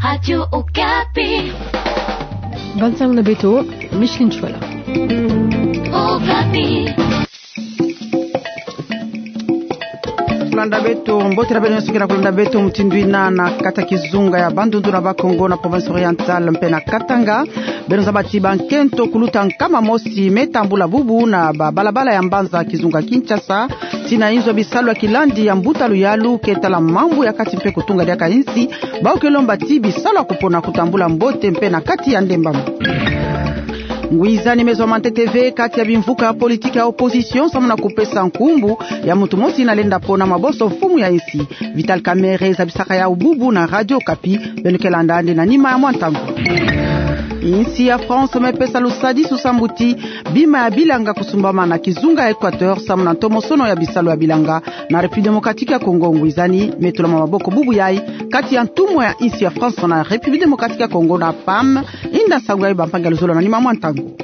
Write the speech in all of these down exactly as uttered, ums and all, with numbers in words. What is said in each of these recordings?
Radio Okapi. Banzang na beto, Micheline Chouala. Okapi. Kolanda beto, mbote na beno nyonso ke na kolanda beto mutindu ina na kati ya kizunga ya Bandundu na Bas-Congo, na province orientale mpe na Katanga. Beno zaba ti bankento kuluta nkama mosi me tambula bubu na babalabala ya mbanza kizunga Kinshasa, tii na inzo ya bisalu ya kilandi ya mbuta Luyalu ke tala mambu ya kati mpe kutunga diaka insi, bawu ke lomba ti bisalu ya kupona kutambula mbote mpe na kati ya ndembama. Ngwizani me zwa mantete ve kati ya bimvuka ya politiki ya opposition samu na kupesa nkumbu ya muntu mosi ina lenda ponama bonso mfumu ya insi. Vital Kamerhe zabisaka yawu bubu na Radio Okapi, beno ke landa yandi na nima ya mwa ntangu. Insi ya France me pesa lusadisu samu ti bima ya bilanga kusumbama na kizunga ya Equateur samu na ntomosono ya bisalu ya bilanga na République Démocratique ya Congo. Ngwizani me tulama maboko bubu yai kati ya ntumwa ya insi ya France na République Démocratique ya Congo na PAM. Inda nsangu yai, bampangi ya luzolo, na nima ya mwa ntangu.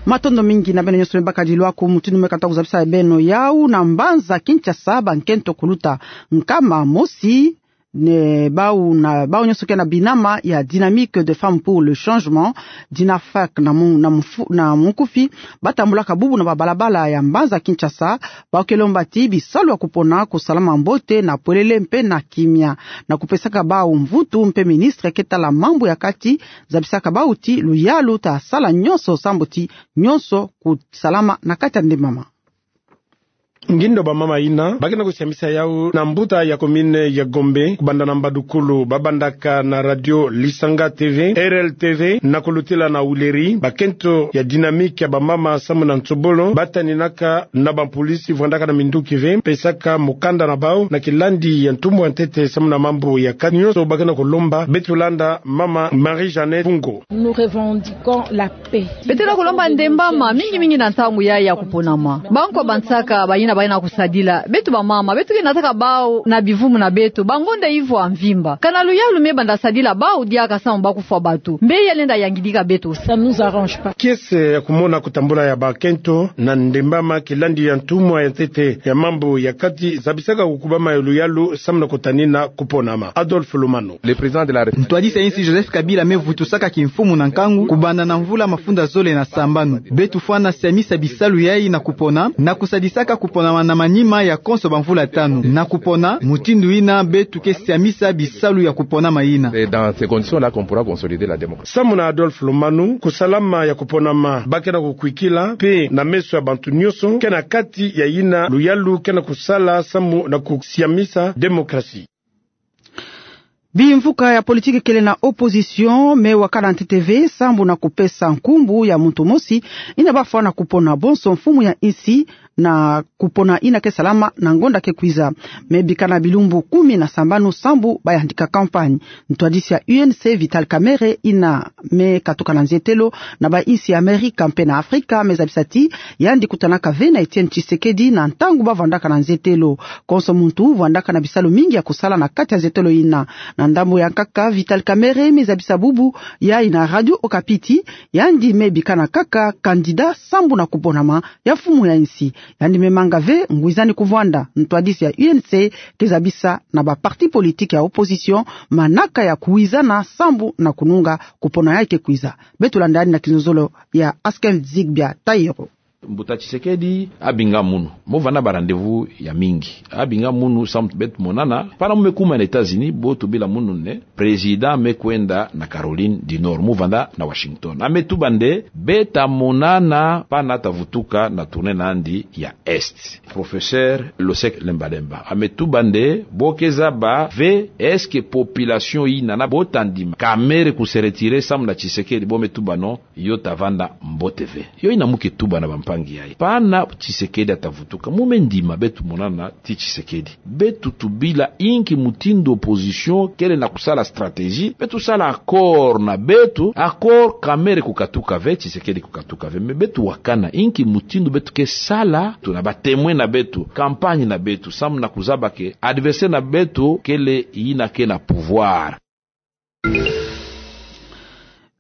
Matondo mingi na beno nyonso me baka dilu aku. Mutindu me kata kuzabisa beno yawu, na mbanza Kinshasa, bankento kuluta nkama mosi, ne bawu na, bawu nyonso ke na binama ya Dynamique des Femmes pour le Changement, DINAFAC na mu-, na mufu-, na munkufi, batambulaka bubu na babalabala ya mbanza Kinshasa, bawu ke lomba ti bisalu ya kupona kusalama mbote na pwelele mpe na kimia, na kupesaka bawu mvutu mpe ministre ke tala mambu ya kati zabisaka bawu ti Luyalu ta sala nyonso samu ti nyonso kusalama na kati ya ndembama. Ngindo bamama ina ba ke na kusiamisa yawu na mbuta ya commune ya Gombe, kubanda na mbadukulu, babandaka na radio Lisanga TV, RLTV, na kulutila na Huileries, bakento ya Dynamique ya bamama samu na nsobolo, bataninaka na bampolisi vwandaka na minduki ve, pesaka mukanda na bawu na kilandi ya ntumwa ya ntete samu na mambu ya kati. Nyonso ba ke na kulomba, beto landa mama Marie-Jeanne Fungo. Nous revendiquons la Beto ke na kulomba ndembama, mingi mingi na ntangu yai ya kuponama. Bankwa bansaka bayina ba ke na kusadila beto bamama, beto ke nataka bawu na bivumu na beto bangonda ivwa mvimba. Kana Luyalu me banda sadila bawu diaka samu ba kufwa bato, mbe ya lenda yangidika beto? Ça nous arrange pas. Kiese ya kumona kutambula ya bakento na ndembama kilandi ya ntumwa ya ntete ya mambu ya kati zabisaka kukubama ya Luyalu samu na kutanina kuponama. Adolphe Lumanu. Le président de la République. Ntwadisi ya insi Joseph Kabila me vutusaka kimfumu na nkangu, kubanda na mvula mafunda zole na sambanu. Beto fwana siamisa bisalu yai na kupona, na kusadisaka kupona na manima ya konso bamvula tanu. Na kupona, mutindu ina beto ke siamisa bisalu ya kupona mayina. C'est dans ces conditions-là qu'on pourra consolider la démocratie. Samu na Adolphe Lumanu, kusalama ya kuponama ba ke na kukwikila, mpe na meso ya bantu nyonso, ke na kati ya yina Luyalu ke na kusala samu na kusiamisa démocratie. Bimvuka ya politiki kele na opposition me wakana ntete ve sambu na kupesa nkumbu ya muntu mosi ina ba fwana kupona bonso mfumu ya insi na kupona ina ke salama na ngonda ke kwiza. Me bikana bilumbu kumi na sambanu sambu ba yandika campagne. Ntwadisi ya U N C Vital Kamerhe ina me katuka na nzietelo na ba insi ya Amerika mpe na Afrika me zabisa ti yandi kutanaka ve na Etienne Tshisekedi na ntangu ba vandaka na nzietelo. Konso muntu vandaka na bisalu mingi ya kusala na kati ya nzietelo ina. Na ndambu ya nkaka, Vital Kamerhe me zabisa bubu yai na Radio Okapi ti yandi me bikana kaka candidat sambu na kuponama ya mfumu ya insi. Yandi me manga ve ngwizani kuvwanda. Ntwadisi ya U N C ke zabisa na ba parti politique ya opposition manaka ya kuwizana sambu na kununga kupona yai ke kwiza. Beto landa yandi na kinzonzolo ya Asken Zigbia Tairo. Mbuta Tshisekedi abinga munu. Mo vanda ba rendez-vous ya mingi. Abinga munu sambu beto monana. Pana mo me kuma na États-Unis, bo tubila munu nde président me kwenda na Caroline du Nord. Mo vanda na Washington. A me tuba nde beta monana pana ta vutuka na tournée na yandi ya Est. Professeur Losek Lembalemba. A me tuba nde bo ke zaba ve est-ce que population ina na bo ta ndima Kamerhe ku se retirer sambu na Tshisekedi? Bo me tuba non. Yo ta vanda mbote ve. Yo ina mo ke tuba na bampangi yai. Pana Tshisekedi a ta vutuka, mo me ndima beto monana ti Tshisekedi. Beto tubila inki mutindu opposition kele na kusala stratégie. Beto sala accord na beto, accord Kamerhe kukatuka ve, Tshisekedi kukatuka ve. Me beto wakana inki mutindu beto ke sala, tuna ba témoin na beto, campagne na beto, sambu na kuzaba ke adversaire na beto kele ina ke na pouvoir.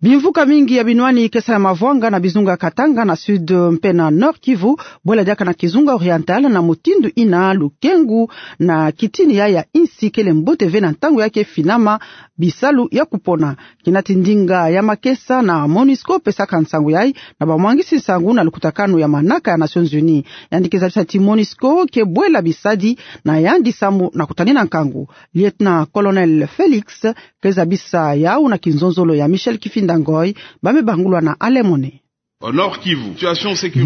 Bimvuka mingi ya binwani ke sala mavwanga na bizunga Katanga na Sud mpe na Nord-Kivu, bwela diaka na kizunga Oriental, na mutindu ina lukengu na kitini ya, ya insi kele mbote ve na ntangu ya ke finama bisalu ya kupona. Kina ti ndinga ya makesa na MONUSCO pesaka nsangu yai na bamwangisi nsangu na lukutakanu ya manaka ya Nations Unies. Yandi ke zabisa ti MONUSCO ke bwela bisadi na yandi sambu na kutanina nkangu. Lieutenant-colonel Felix ke zabisa yau na kinzonzolo ya Michel Kifinda Ngoi, ba me bangulwa na Alemone.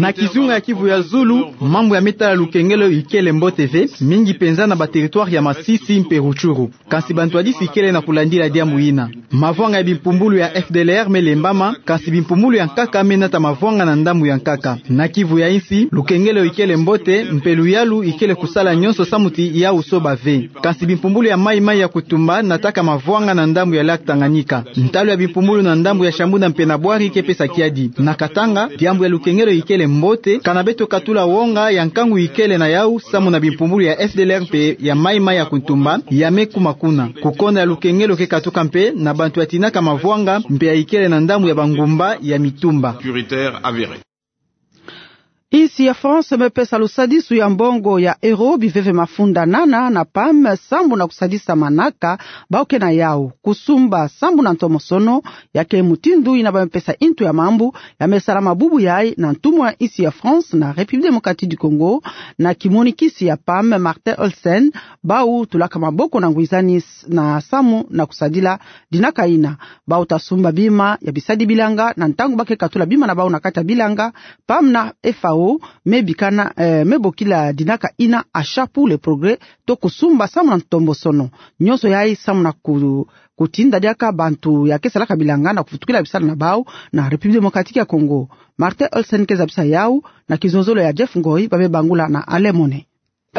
Na kizunga ya Kivu ya Zulu, mambu ya me tala lukengelo ikele mbote ve, mingi penza na ba territoire ya Masisi mpe Rutshuru. Kansi bantwadisi kele na kulandila diambu ina. Mavwanga ya bimpumbulu ya F D L R me lembama, kansi bimpumbulu ya nkaka me nata mavwanga na ndambu ya nkaka. Na Kivu ya insi, lukengelo ikele mbote, mpe luyalu ikele kusala nyonso sambu ti yau soba ve. Kansi bimpumbulu ya Mai Mai ya Kutumba nataka mavwanga na ndambu ya lac Tanganyika. Ntalu ya bimpumbulu na ndambu ya Shabunda mpe na Bouari ke pesa kiadi. Na Katanga, diambu ya lukengelo ikele mbote, kana beto katula wonga ya nkangu ikele na yau, sambu na bimpumbulu ya F D L R mpe ya Mai Mai ya Kutumba, ya me kuma kuna. Kukonda ya lukengelo ke katuka mpe na bantu ya tinaka mavwanga, mpe ya ikele na ndambu ya bangumba ya mitumba. Insi ya France me pesa lusadisu ya mbongo ya euro biveve mafunda nana na PAM, sambu na kusadisa manaka bau ke na yau. Kusumba sambu na ntomosono, ya ke mutindu ina ba me pesa intu ya mambu ya me salama bubu yai na ntumwa ya insi ya France na République Démocratique du Congo, na kimonikisi ya PAM Martin Olsen, bau tulaka maboko na ngwizani s-, na samu na kusadila dinaka ina. Bau ta sumba bima ya bisadi bilanga na ntangu ba ke katula bima na bau na kati ya bilanga. PAM na F A O me bikana, eh, me bokila dinaka ina Achat pour le progrès, to kusumba samu na ntomosono. Nyonso yai samu na ku-, kutinda diaka bantu ya ke salaka bilanga na kuvutukila bisalu na bau na République Démocratique ya Congo. Martin Olsen ke zabisa yau na kizonzolo ya Jeff Ngoi, ba me bangula na Alemone.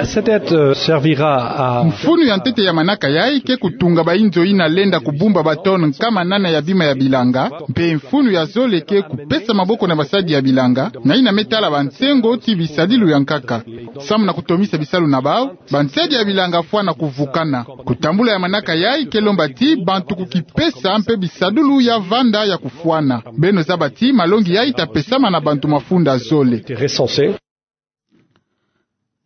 Cette aide, euh, servira à... Mfunu ya ntete ya manaka yai ke kutunga ba inzo ina lenda kubumba ba tonne nkama nana ya bima ya bilanga, mpe mfunu ya zole ke kupesa maboko na basadi ya bilanga, na ina me tala bansengo ti bisadilu ya nkaka. Samu na kutomisa bisalu na bau, bansadi ya bilanga fwana kuvukana. Kutambula ya manaka yai ke lomba ti bantu kukipesa mpe bisadulu ya vanda ya kufwana. Beno zaba ti malongi yai ta pesama na bantu mafunda zole.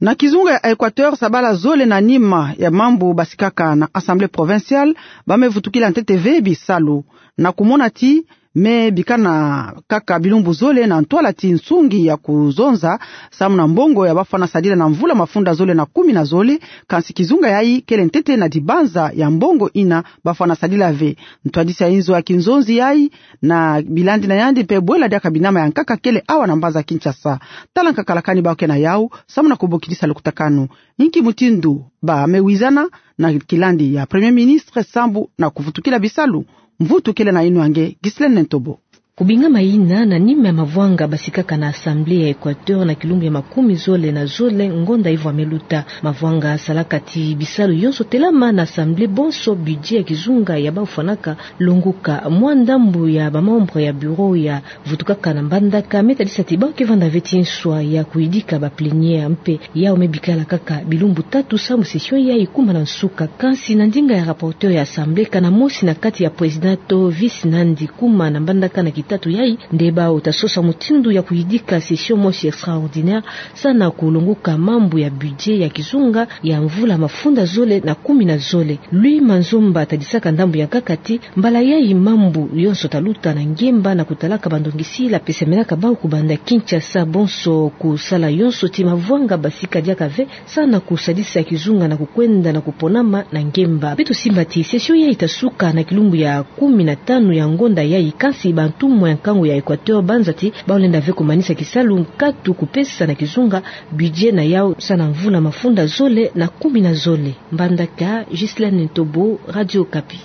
Na kizunga ya Équateur, sabala zole na nima ya mambu basikaka na Assemblée provinciale, ba me vutukila ntete ve bisalu, na kumona ti me bikana kaka bilumbu zole na ntwala ti nsungi ya kuzonza, samu na mbongo ya ba fwana sadila na mvula mafunda zole na kumi na zole. Kansi kizunga yai kele ntete na dibanza ya mbongo ina ba fwana sadila ve. Ntwadisi ya inzo ya kinzonzi yai na bilandi na yandi mpe bwela diaka binama ya nkaka kele awa na mbanza Kinshasa. Tala nkaka la kani bau ke na yau, samu na kubokidisa lukutakanu. Inki mutindu ba me wizana na kilandi ya Premier Ministre sambu na kuvutukila bisalu? Mvutu kele na yinwa nge, Ghislaine Ntobo. Kubingama ina na nima ya mavwanga basikaka na Assemblée ya Équateur na kilumbu ya makumi zole na zole ngonda ivo ya me luta. Mavwanga salaka ti bisalu yonso telama na Assemblée, bonso budget ya kizunga ya bau fwanaka longuka. Mwa ndambu ya ba membre ya bureau ya vutukaka na Mbandaka me tadisa ti bau ke vanda ve ti nswa ya kuyidika ba plénière, mpe yau me bikala kaka bilumbu tatu samu session yai kuma na nsuka. Kansi na ndinga ya rapporteur ya Assemblée, kana mosi na kati ya président to vice nandi kuma na Mbandaka na kitatu yai, nde bau ta sosa mutindu ya kuyidika session mosi extraordinaire, samu na kulonguka mambu ya budget ya kizunga ya mvula mafunda zole na kumi na zole. Louis Manzomba tadisaka ndambu ya nkaka ti mbala yai mambu yonso ta luta na ngemba na kutalaka bandongisila pesamelaka bau kubanda Kinshasa, bonso kusala yonso ti mavwanga basika diaka ve, samu na kusadisa kizunga na kukwenda na kuponama na ngemba. Beto simba ti session yai ta suka na kilumbu ya kumi na tanu ya ngonda yai, kansi bantumwa ya nkangu ya Équateur banza ti bau lenda ve kumanisa kisalu nkatu kupesa na kizunga budget na yau samu na mvula mafunda zole na kumi na zole. Mbandaka, Ghislaine Ntobo, Radio Okapi.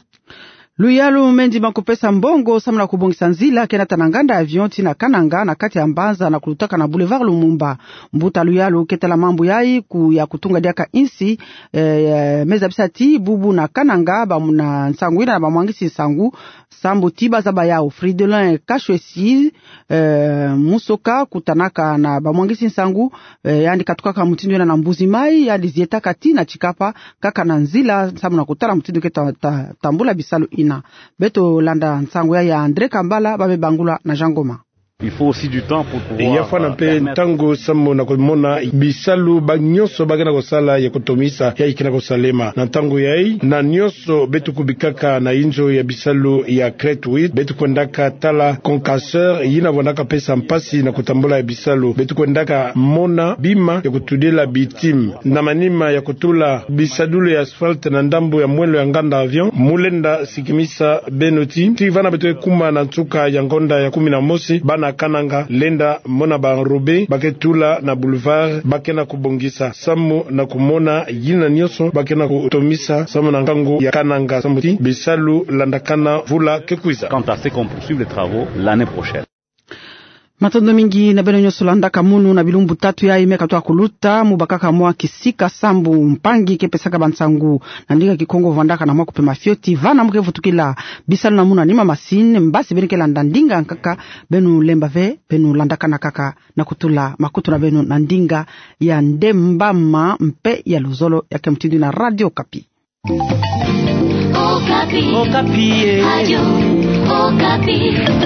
Luyalu mendi ma kupesa mbongo samu na kubongisa nzila ke nata na nganda avion ti na Kananga na kati ya mbanza na kulutaka na Boulevard Lumumba. Mbuta luyalu ke tala mambu yai ku ya kutunga diaka insi, eh, me zabisa ti bubu na Kananga, ba mu-, na nsangu ina na bamwangisi nsangu, sambu ti bazaba yau. Fridolin Kashwesi, eh, Musoka kutanaka na bamwangisi nsangu, eh, yandi katukaka mutindu yina na Mbuzi Mayi, yandi zietaka ti na Tshikapa, kaka na nzila samu na kutala mutindu ke ta-, ta-, tambula bisalu ina. Beto landa nsangu ya ya André Kambala, ba me bangula na Jean Ngoma. Il faut aussi du temps pour pouvoir, euh, permettre... Ya fwana mpe ntangu samu na kumona bisalu ba nyonso ba ke na kusala ya kutomisa ya ke na kusalema. Na ntangu yayi, na nyonso beto kubikaka na inzo ya bisalu ya Crête huit, beto kwendaka tala concasseur yina vwandaka pesa mpasi na kutambula ya bisalu. Beto kwendaka mona bima ya kutudila bitime. Na manima ya kutula bisadulu ya asphalte na ndambu ya mwelo ya nganda avion, mu lenda sikimisa beno ti, ti vana beto ke kuma na nsuka ya ngonda ya kumi na mosi, bana Kananga lenda mona ba enrobé ba ke tula na boulevard ba ke na kubongisa, samu na kumona yina nyonso ba ke na kutomisa samu na nkangu ya Kananga, samu ti bisalu landakana mvula ke kwiza. Quant à ceux qui ont poursuivi les travaux l'année prochaine. Matondo mingi na beno nyonso landaka munu na bilumbu tatu yayi me katuka kuluta. Mu bakaka mwa kisika sambu mpangi ke pesaka bansangu na ndinga Kikongo vwandaka na mwa kupema fioti vana mu ke vutukila. Bisalu na munu anima masini, mbasi beno ke landa ndinga nkaka, beno lemba ve, beno landakana kaka na kutula makutu na beno na ndinga ya Ndembama mpe ya luzolo ya ke mutindu na Radio Okapi. Okapi. Okapi, eh. Radio Okapi.